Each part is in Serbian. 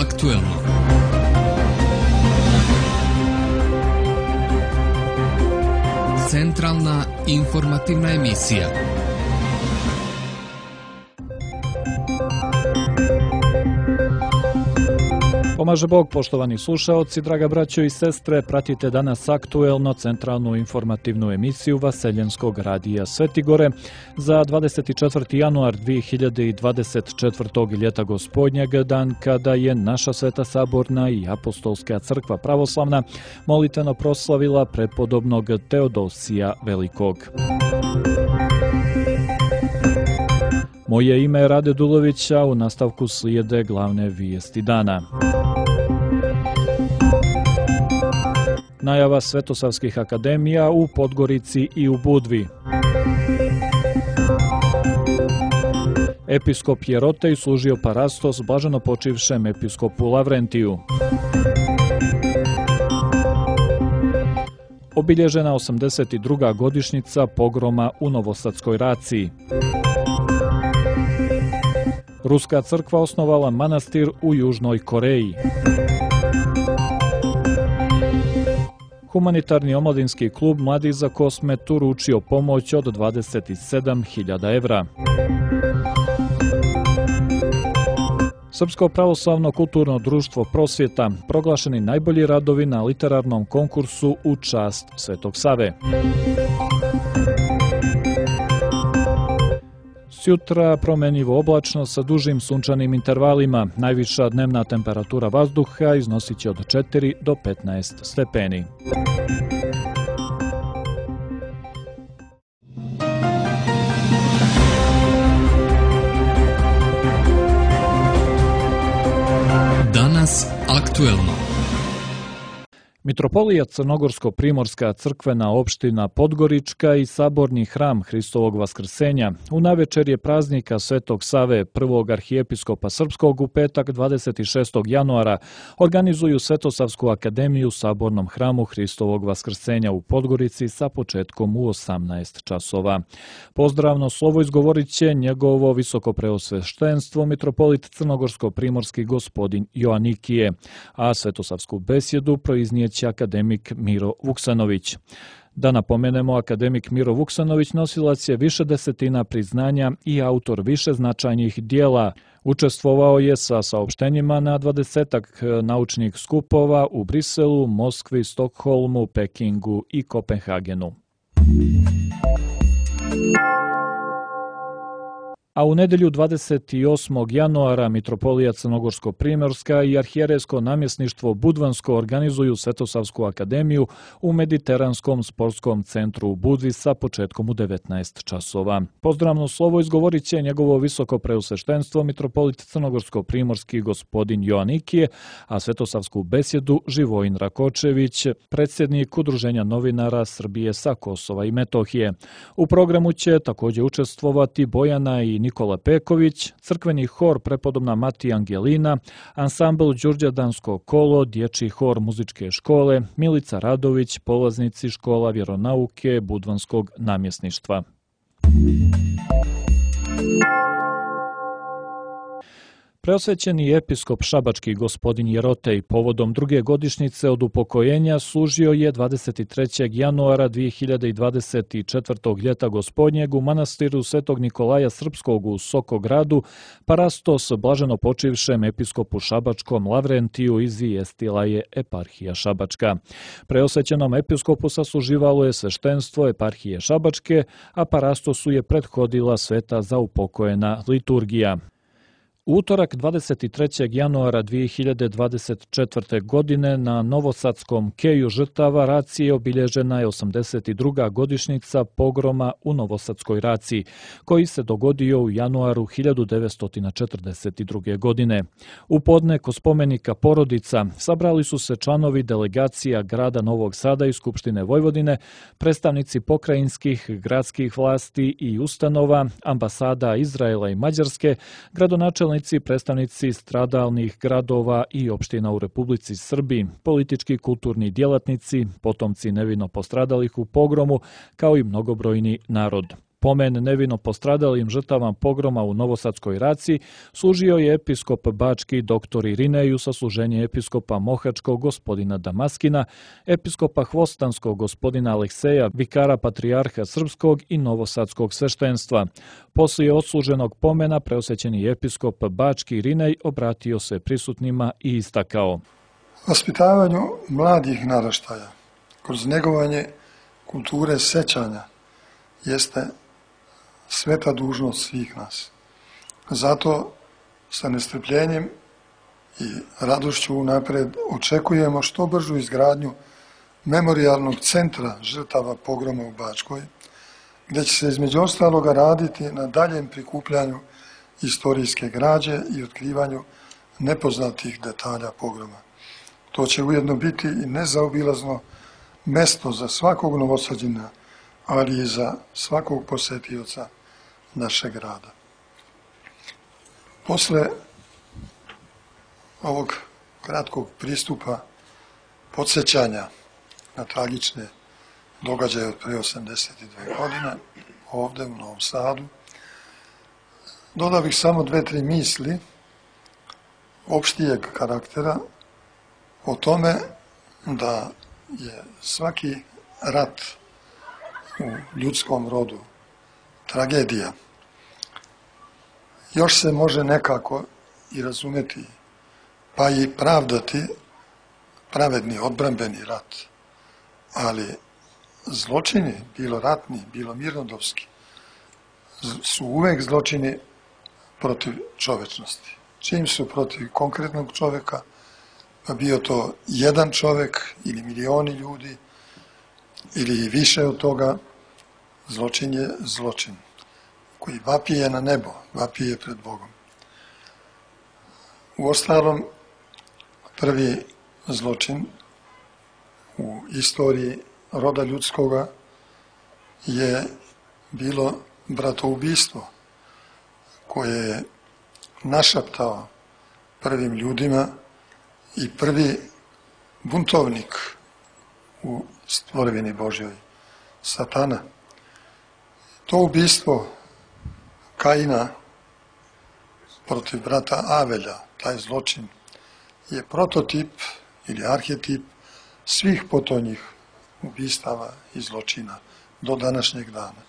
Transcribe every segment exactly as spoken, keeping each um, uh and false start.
aktuelno. Centralna informativna emisija. Pomaže Bog, poštovani slušaoci, draga braćo i sestre, pratite danas aktuelno centralnu informativnu emisiju Vaseljenskog radija Svetigore za dvadeset četvrti januar dvije hiljade dvadeset četvrtog. ljeta gospodnjeg, dan kada je naša Sveta Saborna i Apostolska crkva pravoslavna molitveno proslavila prepodobnog Teodosija Velikog. Moje ime je Rade Dulović, a u nastavku slijede glavne vijesti dana. Najava Svetosavskih akademija u Podgorici i u Budvi. Episkop Jerotej služio parastos blaženo počivšem episkopu Lavrentiju. Obilježena osamdeset druga godišnjica pogroma u Novosadskoj raciji. Ruska crkva osnovala manastir u Južnoj Koreji. Humanitarni omladinski klub Mladi za Kosmet uručio pomoć od dvadeset sedam hiljada evra. Srpsko pravoslavno kulturno društvo Prosvjeta proglašeni najbolji radovi na literarnom konkursu u čast Svetog Save. Sjutra promenjivo oblačno sa dužim sunčanim intervalima. Najviša dnevna temperatura vazduha iznosit će od četiri do petnaest stepeni. Danas aktuelno. Mitropolija Crnogorsko-primorska crkvena opština Podgorička i saborni hram Hristovog vaskrsenja u navečerje praznika Svetog Save, prvog arhijepiskopa srpskog, u petak dvadeset šestog januara organizuju Svetosavsku akademiju u sabornom hramu Hristovog vaskrsenja u Podgorici sa početkom u osamnaest časova. Pozdravno slovo izgovorit će njegovo visokopreosveštenstvo mitropolit Crnogorsko-primorski gospodin Joanikije, a Svetosavsku besjedu proiznijet će akademik Miro Vuksanović. Da napomenemo, akademik Miro Vuksanović nosilac je više desetina priznanja i autor više značajnih dijela. Učestvovao je sa saopštenjima na dvadesetak naučnih skupova u Briselu, Moskvi, Stokholmu, Pekingu i Kopenhagenu. A u nedelju dvadeset osmog januara Mitropolija Crnogorsko-primorska i arhijerejsko namjesništvo Budvansko organizuju Svetosavsku akademiju u Mediteranskom sportskom centru u Budvi sa početkom u devetnaest časova. Pozdravno slovo izgovorit će njegovo visoko preosveštenstvo mitropolit Crnogorsko-primorski gospodin Joanikije, a Svetosavsku besjedu Živojin Rakočević, predsjednik Udruženja novinara Srbije sa Kosova i Metohije. U programu će također učestvovati Bojana i Nikola Peković, crkveni hor Prepodobna Mati Angelina, ansambl Đurđadansko kolo, dječji hor muzičke škole, Milica Radović, polaznici škola vjeronauke Budvanskog namjesništva. Preosvećeni episkop šabački gospodin Jerotej povodom druge godišnjice od upokojenja služio je dvadeset trećeg januara dvije hiljade dvadeset četvrtog. ljeta gospodnjeg u manastiru Svetog Nikolaja Srpskog u Sokogradu parastos blaženo počivšem episkopu šabačkom Lavrentiju, izvijestila je eparhija Šabačka. Preosvećenom episkopu sasluživalo je sveštenstvo eparhije Šabačke, a parastosu je prethodila sveta za upokojena liturgija. U utorak dvadeset trećeg januara dvije hiljade dvadeset četvrte. godine na Novosadskom keju žrtava racije obilježena je osamdeset druga godišnjica pogroma u Novosadskoj raciji, koji se dogodio u januaru hiljadu devetsto četrdeset druge. godine. U podne kod spomenika Porodica sabrali su se članovi delegacija grada Novog Sada i Skupštine Vojvodine, predstavnici pokrajinskih, gradskih vlasti i ustanova, ambasada Izraela i Mađarske, gradonačelnici, predstavnici stradalnih gradova i opština u Republici Srbiji, politički kulturni djelatnici, potomci nevino postradalih u pogromu, kao i mnogobrojni narod. Pomen nevino postradalim žrtavama pogroma u Novosadskoj Raciji služio je episkop bački doktor Irinej u sasluženje episkopa Mohačkog gospodina Damaskina, episkopa Hvostanskog gospodina Alekseja, vikara patrijarha Srpskog i Novosadskog sveštenstva. Poslije odsluženog pomena preosvećeni episkop bački Irinej obratio se prisutnima i istakao: Vaspitavanju mladih naraštaja kroz negovanje kulture sećanja jeste sveta dužnost svih nas. Zato sa nestrpljenjem i radošću unapred očekujemo što bržu izgradnju memorijalnog centra žrtava pogroma u Bačkoj, gdje će se između ostaloga raditi na daljem prikupljanju istorijske građe i otkrivanju nepoznatih detalja pogroma. To će ujedno biti i nezaobilazno mesto za svakog Novosađina, ali i za svakog posetioca našeg grada. Posle ovog kratkog pristupa podsjećanja na tragične događaje od pre osamdeset dve godine ovde u Novom Sadu, dodao bih samo dve, tri misli opštijeg karaktera o tome da je svaki rat u ljudskom rodu tragedija. Još se može nekako i razumeti, pa i pravdati pravedni, odbrambeni rat, ali zločini, bilo ratni, bilo mirnodopski, su uvek zločini protiv čovečnosti. Čim su protiv konkretnog čoveka, pa bio to jedan čovek ili milioni ljudi ili više od toga, zločin je zločin koji vapije na nebo, vapije pred Bogom. Uostalom, prvi zločin u istoriji roda ljudskoga je bilo bratoubistvo koje je našaptao prvim ljudima i prvi buntovnik u stvorevini Božjoj, Satana. To ubistvo Kaina protiv brata Avelja, taj zločin, je prototip ili arhetip svih potonjih ubistava i zločina do današnjeg dana.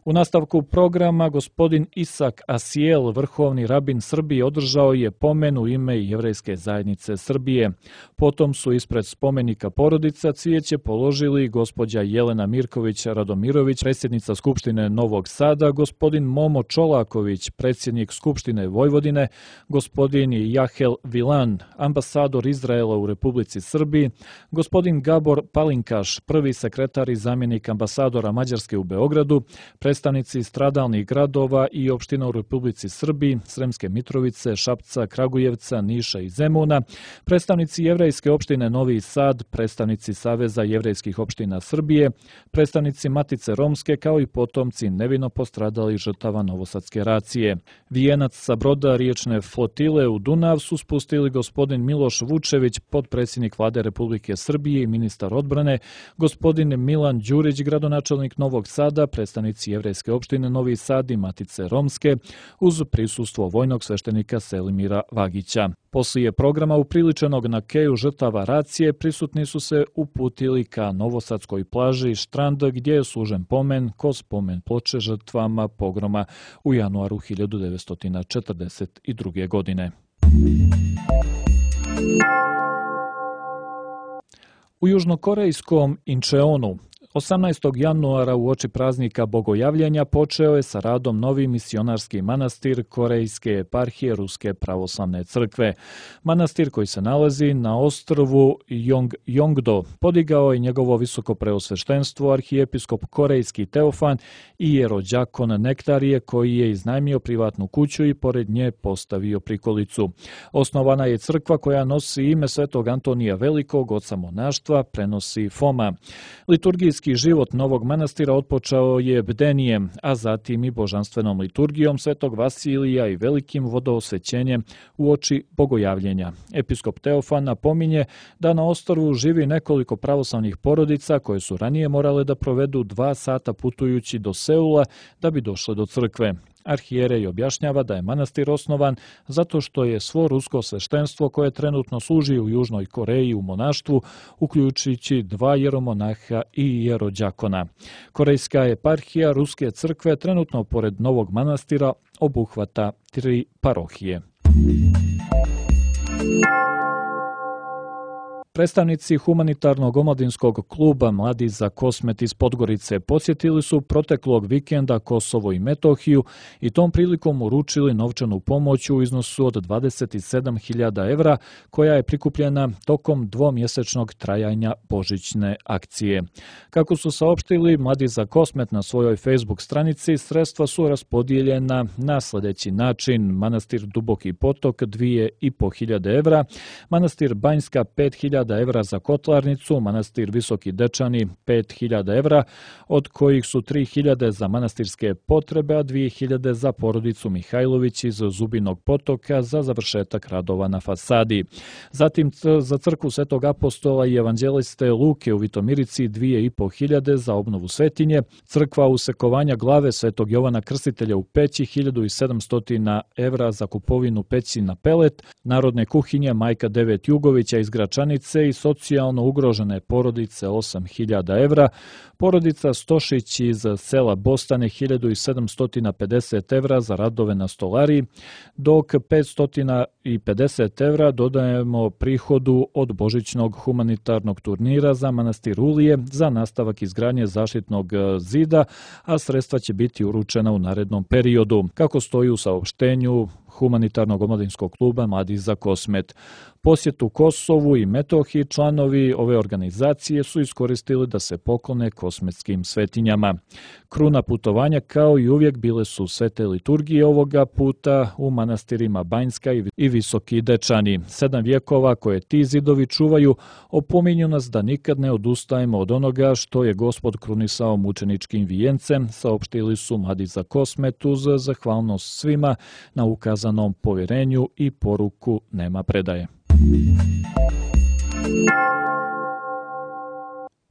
U nastavku programa gospodin Isak Asijel, vrhovni rabin Srbije, održao je pomen u ime Jevrejske zajednice Srbije. Potom su ispred spomenika porodica cvijeće položili gospođa Jelena Mirković-Radomirović, predsjednica Skupštine Novog Sada, gospodin Momo Čolaković, predsjednik Skupštine Vojvodine, gospodin Jahel Vilan, ambasador Izraela u Republici Srbiji, gospodin Gabor Palinkaš, prvi sekretar i zamjenik ambasadora Mađarske u Beogradu, predstavnici stradalnih gradova i opština u Republici Srbiji, Sremske Mitrovice, Šapca, Kragujevca, Niša i Zemuna, predstavnici Jevrejske opštine Novi Sad, predstavnici Saveza jevrejskih opština Srbije, predstavnici Matice Romske, kao i potomci nevino postradalih žrtava Novosadske Racije. Vijenac sa broda riječne flotile u Dunav su spustili gospodin Miloš Vučević, potpredsjednik Vlade Republike Srbije i ministar odbrane, gospodin Milan Đurić, gradonačelnik Novog Sada, predstavnici Jevrejske opštine Novi Sad i Matice Romske, uz prisustvo vojnog sveštenika Selimira Vagića. Poslije programa upriličenog na keju žrtava Racije, prisutni su se uputili ka Novosadskoj plaži Štrand, gdje je služen pomen ko spomen ploče žrtvama pogroma u januaru hiljadu devetsto četrdeset druge. godine. U južnokorejskom Incheonu osamnaestog januara uoči praznika Bogojavljenja počeo je sa radom novi misionarski manastir Korejske eparhije Ruske pravoslavne crkve. Manastir koji se nalazi na ostrvu Jongjongdo podigao je njegovo visoko preosveštenstvo arhijepiskop korejski Teofan i jerođakon Nektarije, koji je iznajmio privatnu kuću i pored nje postavio prikolicu. Osnovana je crkva koja nosi ime svetog Antonija Velikog, oca monaštva, prenosi Foma. Liturgijski Liturgijski život Novog manastira otpočeo je bdenijem, a zatim i božanstvenom liturgijom Svetog Vasilija i velikim vodoosvećenjem uoči bogojavljenja. Episkop Teofan napominje da na ostrvu živi nekoliko pravoslavnih porodica koje su ranije morale da provedu dva sata putujući do Seula da bi došle do crkve. Arhijerej objašnjava da je manastir osnovan zato što je svo rusko sveštenstvo koje trenutno služi u Južnoj Koreji u monaštvu, uključujući dva jeromonaha i jerođakona. Korejska eparhija Ruske crkve trenutno pored Novog manastira obuhvata tri parohije. Predstavnici humanitarnog omladinskog kluba Mladi za Kosmet iz Podgorice posjetili su proteklog vikenda Kosovo i Metohiju i tom prilikom uručili novčanu pomoć u iznosu od dvadeset sedam hiljada evra koja je prikupljena tokom dvomjesečnog trajanja božićne akcije. Kako su saopštili Mladi za Kosmet na svojoj Facebook stranici, sredstva su raspodijeljena na sljedeći način: manastir Duboki Potok dvije i po hiljade evra, manastir Banjska pet hiljada evra za kotlarnicu, manastir Visoki Dečani pet hiljada evra, od kojih su tri hiljade za manastirske potrebe, a dvije hiljade za porodicu Mihajlović iz Zubinog Potoka za završetak radova na fasadi. Zatim za crkvu Svetog apostola i evanđeliste Luke u Vitomirici dvije i po hiljade za obnovu svetinje, crkva usekovanja glave Svetog Jovana Krstitelja u Peći hiljadu i sedamsto evra za kupovinu peći na pelet, narodne kuhinje Majka Devet Jugovića iz Gračanice i socijalno ugrožene porodice osam hiljada evra, porodica Stošić iz sela Bostane hiljadu i sedamsto pedeset evra za radove na stolariji, dok petsto pedeset evra dodajemo prihodu od božićnog humanitarnog turnira za manastir Ulije za nastavak izgradnje zaštitnog zida, a sredstva će biti uručena u narednom periodu, kako stoji u saopštenju humanitarnog omladinskog kluba Mladi za Kosmet. Posjetu Kosovu i Metohiji članovi ove organizacije su iskoristili da se poklone kosmetskim svetinjama. Kruna putovanja kao i uvijek bile su svete liturgije ovoga puta u manastirima Banjska i Visoki Dečani. Sedam vjekova koje ti zidovi čuvaju opominju nas da nikad ne odustajemo od onoga što je Gospod krunisao mučeničkim vijencem, saopštili su Mladi za Kosmet uz zahvalnost svima na ukazanom povjerenju i poruku nema predaje.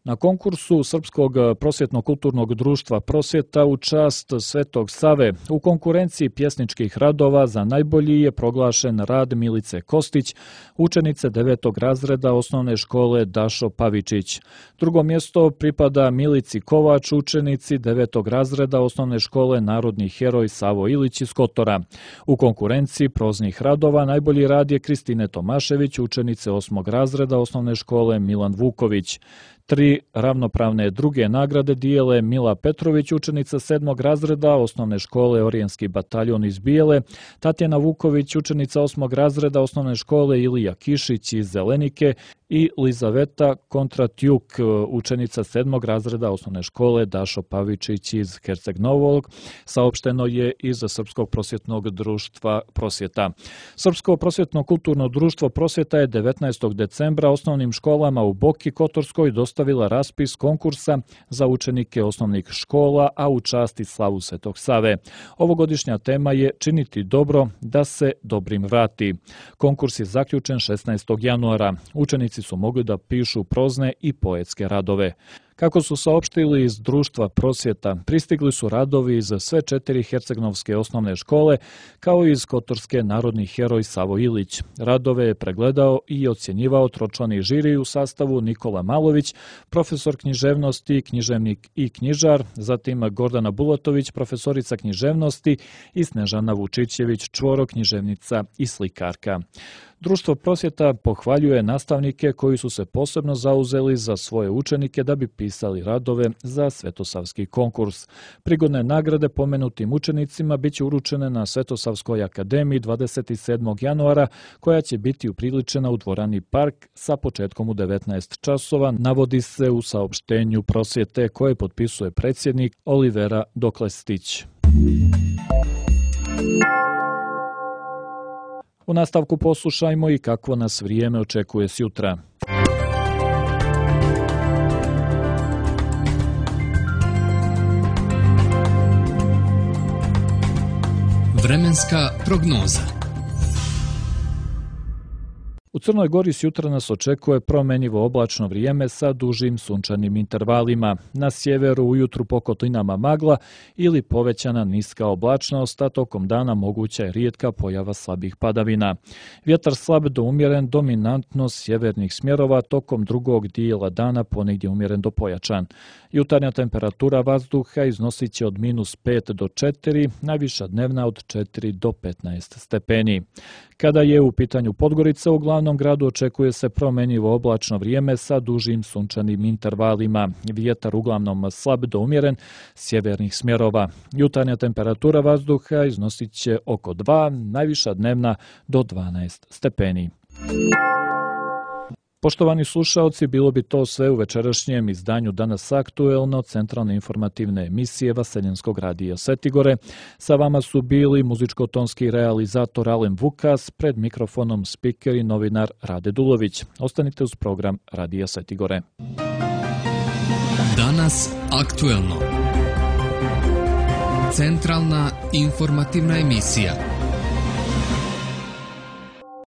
Na konkursu Srpskog prosvjetno-kulturnog društva Prosvjeta u čast Svetog Save u konkurenciji pjesničkih radova za najbolji je proglašen rad Milice Kostić, učenice devetog razreda osnovne škole Dašo Pavičić. Drugo mjesto pripada Milici Kovač, učenici devetog razreda osnovne škole Narodni heroj Savo Ilić iz Kotora. U konkurenciji proznih radova najbolji rad je Kristine Tomašević, učenice osmog razreda osnovne škole Milan Vuković. Tri ravnopravne druge nagrade dijele Mila Petrović, učenica sedmog razreda osnovne škole Orijenski bataljon iz Bijele, Tatjana Vuković, učenica osmog razreda osnovne škole Ilija Kišić iz Zelenike i Lizaveta Kontratjuk, učenica sedmog razreda osnovne škole Dašo Pavičić iz Herceg Novog, saopšteno je iz Srpskog prosvjetnog društva Prosvjeta. Srpsko prosvjetno kulturno društvo Prosvjeta je devetnaestog decembra osnovnim školama u Boki Kotorskoj dostavila raspis konkursa za učenike osnovnih škola, a u čast i slavu Svetog Save. Ovogodišnja tema je Činiti dobro da se dobrim vrati. Konkurs je zaključen šesnaestog januara. Učenici su mogli da pišu prozne i poetske radove. Kako su saopštili iz društva Prosvjeta, pristigli su radovi iz sve četiri hercegnovske osnovne škole, kao i iz Kotorske Narodni heroj Savo Ilić. Radove je pregledao i ocjenjivao tročlani žiri u sastavu Nikola Malović, profesor književnosti, književnik i knjižar, zatim Gordana Bulatović, profesorica književnosti i Snežana Vučićević, čvoro književnica i slikarka. Društvo Prosvjeta pohvaljuje nastavnike koji su se posebno zauzeli za svoje učenike da bi pisali radove za Svetosavski konkurs. Prigodne nagrade pomenutim učenicima biće uručene na Svetosavskoj akademiji dvadeset sedmog januara, koja će biti upriličena u dvorani Park sa početkom u devetnaest časova, navodi se u saopštenju Prosvjete koje potpisuje predsjednik Olivera Doklestić. U nastavku poslušajmo i kakvo nas vrijeme očekuje sjutra. Vremenska prognoza. U Crnoj Gori s jutra nas očekuje promjenjivo oblačno vrijeme sa dužim sunčanim intervalima. Na sjeveru ujutru po kotlinama magla ili povećana niska oblačnost, a tokom dana moguća je rijetka pojava slabih padavina. Vjetar slab do umjeren, dominantno sjevernih smjerova, tokom drugog dijela dana ponegdje umjeren do pojačan. Jutarnja temperatura vazduha iznosit će od minus pet do četiri, najviša dnevna od četiri do petnaest stepeni. Kada je u pitanju Podgorica, u glavnom gradu očekuje se promjenjivo oblačno vrijeme sa dužim sunčanim intervalima. Vjetar uglavnom slab do umjeren sjevernih smjerova. Jutarnja temperatura vazduha iznosit će oko dva, najviša dnevna do dvanaest stepeni. Poštovani slušaoci, bilo bi to sve u večerašnjem izdanju Danas aktuelno, centralne informativne emisije Vaseljenskog radija Setigore. Sa vama su bili muzičko-tonski realizator Alen Vukas, pred mikrofonom spiker i novinar Rade Dulović. Ostanite uz program Radija Setigore. Danas aktuelno. Centralna informativna emisija.